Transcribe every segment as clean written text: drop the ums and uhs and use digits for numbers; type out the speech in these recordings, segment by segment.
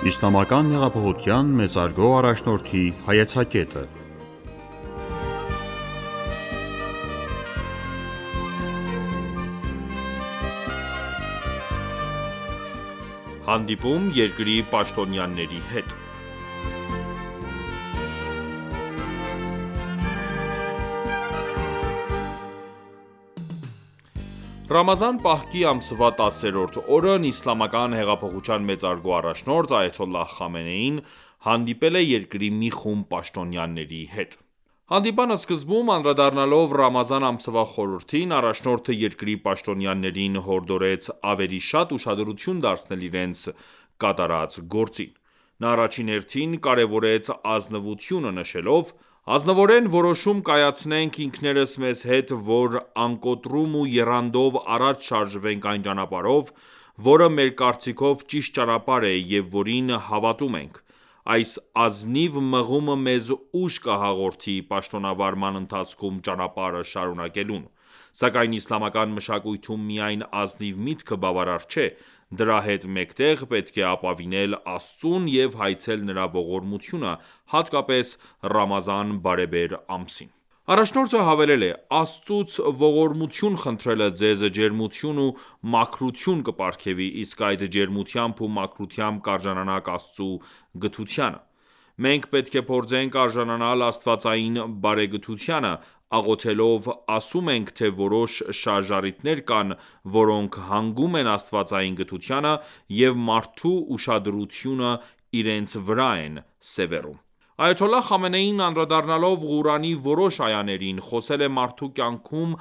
Իսլամական հեղափոխության մեծարգո առաջնորդի հայեցակետը։ Հանդիպում երկրի պաշտոնյաների հետ։ Ռամազան պահքի ամսվա 10-րդ օրն Իսլամական հեղափոխության մեծարգո առաջնորդ Այաթոլլահ Խամենեին հանդիպել է երկրի մի խումբ պաշտոնյաների հետ։ Հանդիպան սկզբում անդրադառնալով Ռամազան ամսվա խորհրդին, առաջնորդը երկրի պաշտոնյաներին հորդորեց ավելի շատ ուշադրություն դարձնել իրենց կատարած գործին։ Նա առաջին հերթին կարևորեց ազնվությունը, նշելով.«Ազնվորեն որոշում կայացնենք ինքներս մեզ հետ, որ անկոտրում ու եռանդով առաջ շարժվենք այն ճանապարհով, որը մեր կարծիքով ճիշտ ճանապարհ է և որին հավատում ենք: Այս ազնիվ մղումը մեզ ուժ կհաղորդի պաշտոնավարման ընթացքում ճանապարհը շարունակելուն: Սակայն իսլամական մշակույթում միայն ազնիվ միտքը բավարար չէ, դրա հետ մեկտեղ պետք է ապավինել Աստծուն և հայցել նրա ողորմությունը, հատկապես Ռամազան բարեբեր ամսին»: Առաջնորդը հավելել է.«Աստծուց ողորմություն խնդրելը ձեզ ջերմություն ու մաքրություն կպարգևի, իսկ այդ ջերմությամբ ու մաքրությամբ կարժանանաք Աստծու գթությանը: Մենք պետք է փորձենք արժանանալ աստվածային բարեգթությանը, աղոթելով ասում ենք, թե որոշ շարժառիթներ կան, որոնք հանգում են աստվածային գթությանը և մարդու ուշադրությունը իրենց վրա են սևեռում»: Այաթոլլահ Խամենեին անդրադառնալով Ղուրանի որոշ այաներին, խոսել է մարդու կյանքում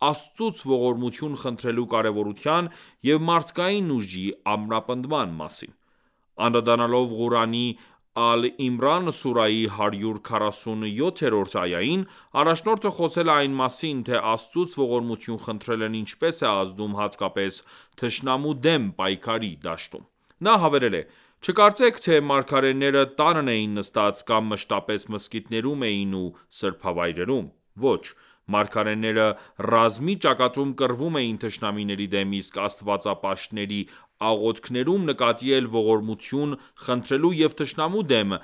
Աստծուց ողորմություն խնդրելու կարևորության և մարդկային ուժի ամրապնդման մասին: Անդրադառնալով Ղուրանի Ալ Իմրան սուրահի 147-րդ այային, առաջնորդը խոսել է այն մասին, թե Աստծուց ողորմություն խնդրելն ինչպես է ազդում հատկապես թշնամու դեմ պայքարի դաշտում: Նա հավելել է.«Չկարծեք, թե մարգարեները տանն էին նստած կամ մշտապես մզկիթներում էին ու սրբավայրերում: Ոչ, մարգարեները ռազմի ճակատում կռվում էին թշնամիների դեմ, իսկ աստվածապաշտների աղոթքներում նկատի էլ ողորմություն խնդրելու և թշնամու դեմ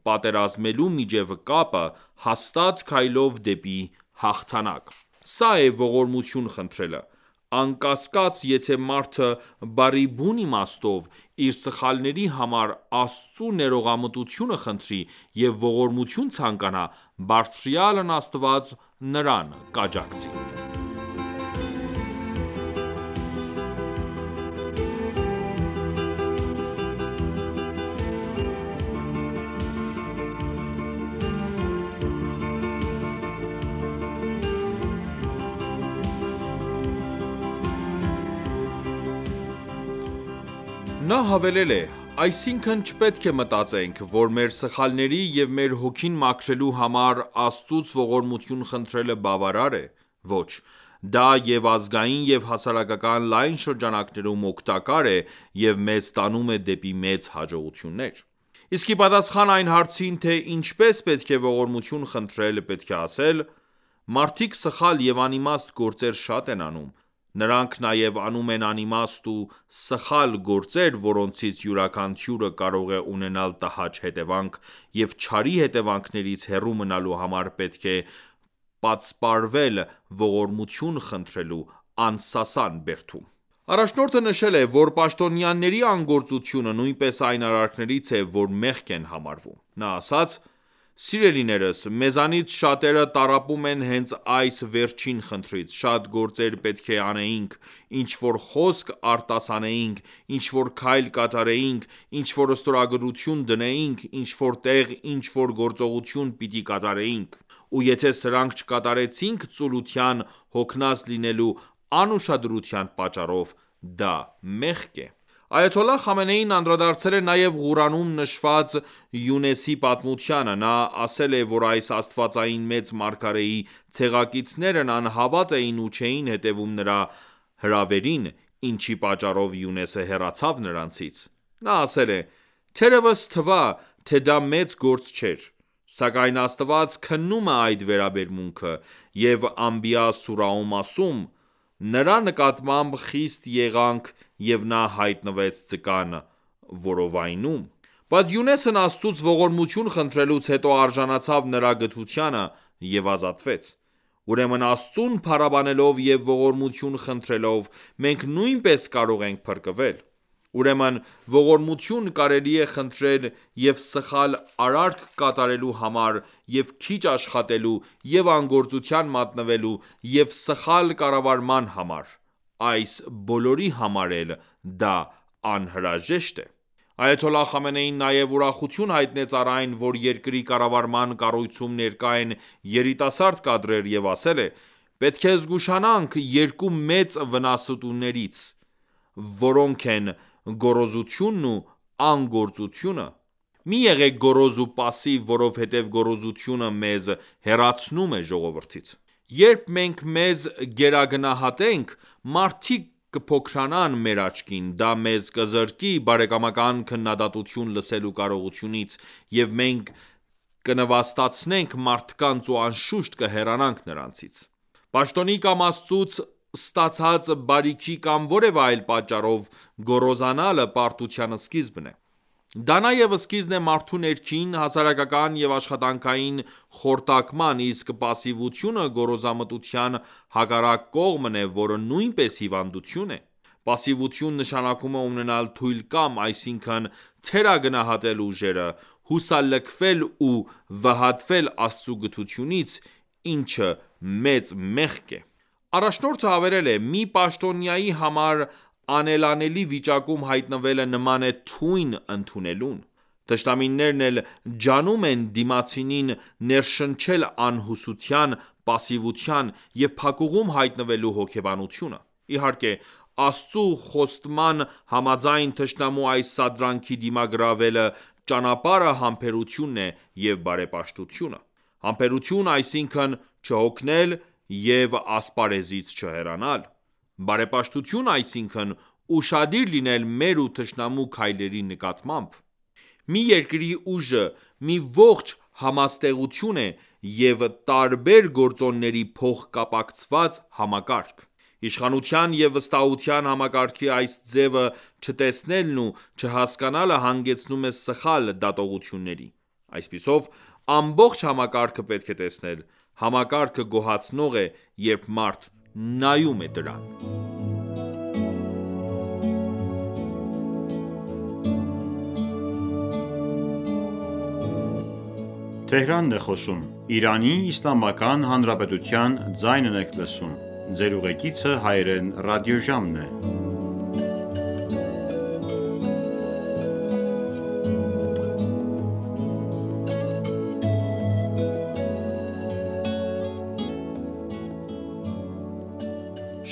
պատերազմելու միջև կապը, հաստատ քայլով դեպի հաղթանակ: Սա է ողորմություն խնդրելը: Անկասկած, եթե մարդը բառի բուն իմաստով իր սխալների համար Աստծու ներողամտությունը խնդրի և ողորմություն ցանկանա, Բարձրյալն Աստված նրան կաջակցի»: Նա հավելել է.«Այսինքն չպետք է մտածենք, որ մեր սխալների և մեր հոգին մաքրելու համար Աստծուց ողորմություն խնդրելը բավարար է: Ոչ, դա և ազգային և հասարակական լայն շրջանակներում օգտակար է և մեզ տանում է դեպի մեծ հաջողություններ: Իսկ ի պատասխան այն հարցին, թե ինչպես պետք է ողորմություն խնդրել, պետք է ասել. «Մարդիկ սխալ և անիմաստ գործեր շատ են անում: Նրանք նաև անում են անիմաստ ու սխալ գործեր, որոնցից յուրաքանչյուրը կարող է ունենալ տհաճ հետևանք, և չարի հետևանքներից հեռու մնալու համար պետք է պատսպարվել ողորմություն խնդրելու անսասան բերդում»: Առաջնորդը նշել է, որ պաշտոնյաների անգործությունը նույնպես այն արարքներից է, որ մեղք են համարվում: Նա ասաց.«Սիրելիներս, մեզանից շատերը տառապում են հենց այս վերջին խնդրից: Շատ գործեր պետք է անեինք, ինչ-որ խոսք արտասանեինք, ինչ-որ քայլ կատարեինք, ինչ-որ ստորագրություն դնեինք, ինչ-որ տեղ ինչ-որ գործողություն պիտի կատարեինք: Ու եթե սրանք չկատարեցինք ծուլության հոգնած լինելու անուշադրության պատճառով, դա մեղք է»: Այաթոլլահ Խամենեին անդրադարձել է նաև Ղուրանում նշված Յունեսի պատմությանը: Նա ասել է, որ այս աստվածային մեծ մարգարեի ցեղակիցներն անհավատ էին ու չէին հետևում նրա հրավերին, ինչի պատճառով Յունեսը հեռացավ նրանցից: Նա ասել է.«Թերևս թվա, թե դա մեծ գործ չէր: Սակայն Աստված քննում է այդ վերաբերմունքը և Անբիա սուրահում ասում.«Նրա նկատմամբ խիստ եղանք և նա հայտնվեց ձկան որովայնում»: Բայց Յունեսն Աստծուց ողորմություն խնդրելուց հետո արժանացավ նրա գթությանը և ազատվեց: Ուրեմն Աստծուն փառաբանելով և ողորմություն խնդրելով մենք նույնպես կարող ենք փրկվել: Ուրեմն ողորմություն կարելի է խնդրել և սխալ արարք կատարելու համար և քիչ աշխատելու և անգործության մատնվելու և սխալ կառավարման համար: Այս բոլորի համար էլ դա անհրաժեշտ է: Այաթոլլահ Խամենեին նաև ուրախություն հայտնեց առ այն, որ երկրի կառավարման կառույցում ներկա են երիտասարդ կադրեր և ասել է. «Պետք է զգուշանանք երկու մեծ վնասատուներից, որոնք են գոռոզությունն ու անգործությունը: Մի եղեք գոռոզ ու պասիվ, որովհետև գոռոզությունը մեզ հեռացնում է ժողովրդից: Երբ մենք մեզ գերագնահատենք, մարդիկ կփոքրանան մեր աչքին, դա մեզ կզրկի բարեկամական քննադատություն լսելու կարողությունից և մենք կնվաստացնենք մարդկանց ու անշուշտ կհեռանանք նրանցից: Պաշտոնի կամ Աստծուց ստացած բարիքի կամ որևէ այլ պատճառով գոռոզանալը պարտության սկիզբն է: Դա նաև սկիզբն է մարդու ներքին, հասարակական և աշխատանքային խորտակման, իսկ պասիվությունը գոռոզամտության հակառակ կողմն է, որը նույնպես հիվանդություն է: Պասիվություն նշանակում է ունենալ թույլ կամ, այսինքն թերագնահատել ուժերը, հուսալքվել ու վհատվել Աստծու գթությունից, ինչը մեծ մեղք է: Առաջնորդը հավելել է. «Մի պաշտոնյայի համար անելանելի վիճակում հայտնվելը նման է թույն ընդունելուն: Թշնամիներն էլ ջանում են դիմացինին ներշնչել անհուսության, պասիվության և փակուղում հայտնվելու հոգեբանությունը: Իհարկե Աստծու խոստման համաձայն թշնամու այս սադրանքի դիմագրավելու ճանապարհը համբերությունն է և բարեպաշտությունը: Համբերություն, այսինքն չհոգնել և ասպարեզից չհեռանալ: Բարեպաշտություն, այսինքն ուշադիր լինել մեր ու թշնամու քայլերի նկատմամբ: Մի երկրի ուժը մի ողջ համաստեղություն է և տարբեր գործոնների փոխկապակցված համակարգ: Իշխանության և վստահության համակարգի այս ձևը չտեսնելն ու չհասկանալը հանգեցնում է սխալ դատողությունների: Այսպիսով ամբողջ համակարգը պետք է տեսնել: Համակարգը գոհացնող է, երբ մարդ նայում է դրան»: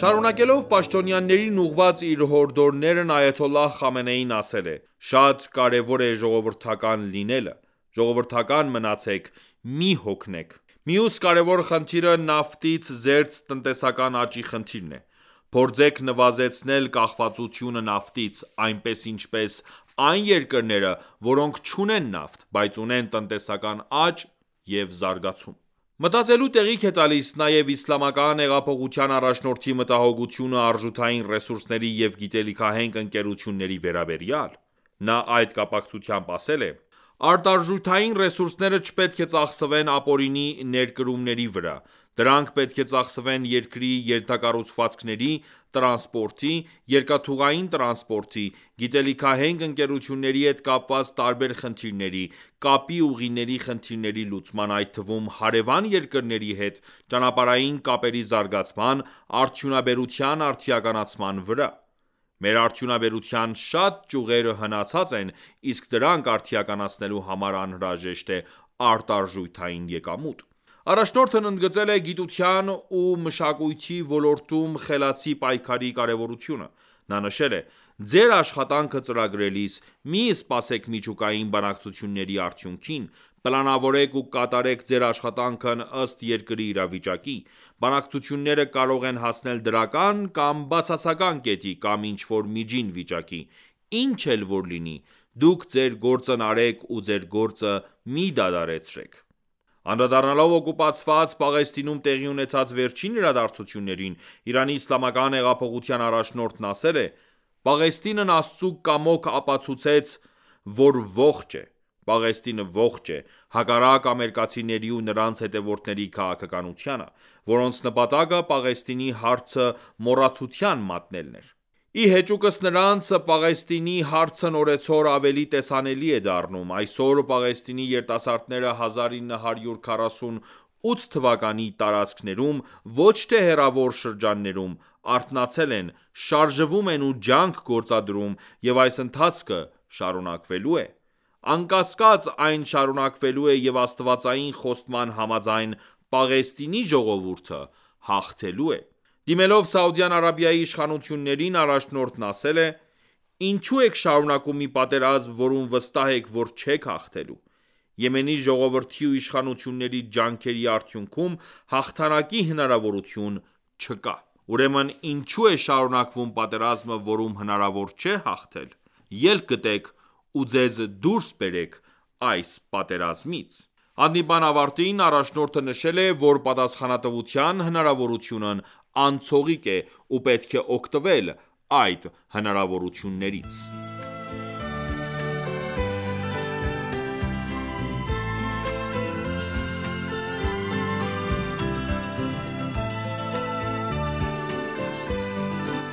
Շարունակելով պաշտոնյաներին ուղղված իր հորդորներն այաթոլլահ Խամենեին ասել է. «Շատ կարևոր է ժողովրդական լինելը: Ժողովրդական մնացեք, մի հոգնեք: Մյուս կարևոր խնդիրը նավթից զերծ տնտեսական աճի խնդիրն է: Փորձեք նվազեցնել կախվածությունը նավթից, այնպես ինչպես այն երկրները, որոնք չունեն նավթ, բայց ունեն տնտեսական աճ և զարգացում: Մտածելու տեղիք է տալիս նաև Իսլամական հեղափոխության առաջնորդի մտահոգությունը արժութային ռեսուրսների և գիտելիքահենք ընկերությունների վերաբերյալ: Նա այդ կապակցությամբ ասել է. «Արտարժութային ռեսուրսները չպետք է ծախսվեն ապօրինի ներկրումների վրա: Դրանք պետք է ծախսվեն երկրի ենթակառուցվածքների, տրանսպորտի, երկաթուղային տրանսպորտի, գիտելիքահենք ընկերությունների հետ կապված տարբեր խնդիրների, կապի ուղիների խնդիրների լուծման, այդ թվում հարևան երկրների հետ ճանապարհային կապերի զարգացման, արդյունաբերության արդիականացման վրա: Մեր արդյունաբերության շատ ճյուղեր հնացած են, իսկ դրանք արդիականացնելու համար անհրաժեշտ է արտարժութային եկամուտ»: Առաջնորդն ընդգծել է գիտության ու մշակույթի ոլորտում խելացի պայքարի կարևորությունը: Նա նշել է. «Ձեր աշխատանքը ծրագրելիս մի սպասեք միջուկային բանակցությունների արդյունքին: Պլանավորեք ու կատարեք ձեր աշխատանքն ըստ երկրի իրավիճակի: Բանակցությունները կարող են հասնել դրական կամ բացասական կետի, կամ ինչ-որ միջին վիճակի: Ինչ էլ որ լինի, դուք ձեր գործն արեք ու ձեր գործը մի դադարեցրեք»: Անդրադառնալով օկուպացված Պաղեստինում տեղի ունեցած վերջին իրադարձություններին, Իրանի իսլամական հեղափոխության առաջնորդն ասել է. «Պաղեստինն Աստծու կամոք ապացուցեց որ ողջ է: Պաղեստինը ողջ է, հակառակ ամերիկացիների ու նրանց հետևորդների քաղաքականությանը, որոնց նպատակը Պաղեստինի հարցը մոռացության մատնելն էր: Ի հեճուկս նրանց, Պաղեստինի հարցն օրեցօր ավելի տեսանելի է դառնում: Այսօր Պաղեստինի երիտասարդները 1948 թվականի տարածքներում, ոչ թե հեռավոր շրջաններում, արթնացել են, շարժվում են ու ջանք գործադրում և այս ընթացքը շարունակվելու է: Անկասկած, այն շարունակվելու է և աստվածային խոստման համաձայն, Պաղեստինի ժողովուրդը հաղթելու է: Դիմելով Սաուդյան Արաբիայի իշխանություններին, առաջնորդն ասել է. «Ինչու եք շարունակում մի պատերազմ, որում վստահ եք, որ չեք հաղթելու: Եմենի ժողովրդի ու իշխանությունների ջանքերի արդյունքում հաղթանակի հնարավորություն չկա: Ուրեմն ինչու է շարունակվում պատերազմը, որում հնարավոր չէ հաղթել: Ելք գտեք ու ձեզ դուրս բերեք այս պատերազմից»: Հանդիպման ավարտին առաջնորդը նշել է, որ պատասխանատվության հնարավորությունն անցողիկ է ու պետք է օգտվել այդ հնարավորություններից: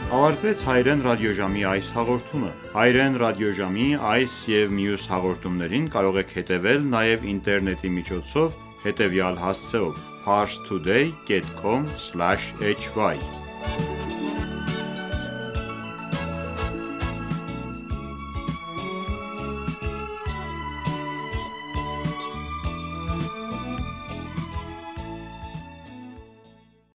Ավարտվեց Հայրեն ռադիոժամի այս հաղորդումը: Հայրեն ռադիոժամի այս և մյուս հաղորդումներին կարող եք հետևել նաև ինտերնետի միջոցով հետևյալ հասցեով՝ parstoday.com/hy